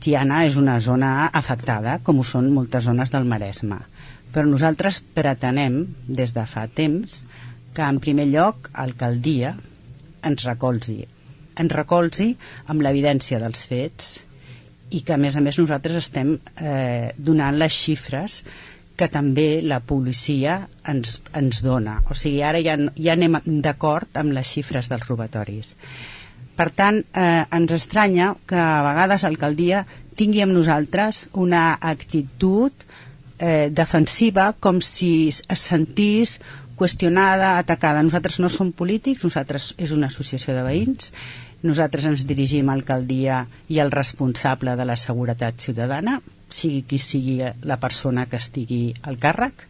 Tiana és una zona afectada, com ho són moltes zones del Maresme. Però nosaltres pretenem, des de fa temps, que en primer lloc l'alcaldia ens recolzi amb l'evidència dels fets i que a més nosaltres estem donant les xifres que també la policia ens dona. O sigui, ara ja anem d'acord amb les xifres dels robatoris. Per tant, ens estranya que a vegades l'alcaldia tingui amb nosaltres una actitud defensiva, com si es sentís qüestionada, atacada. Nosaltres no som polítics, nosaltres és una associació de veïns, nosaltres ens dirigim a l'alcaldia i al responsable de la seguretat ciutadana, sigui qui sigui la persona que estigui al càrrec,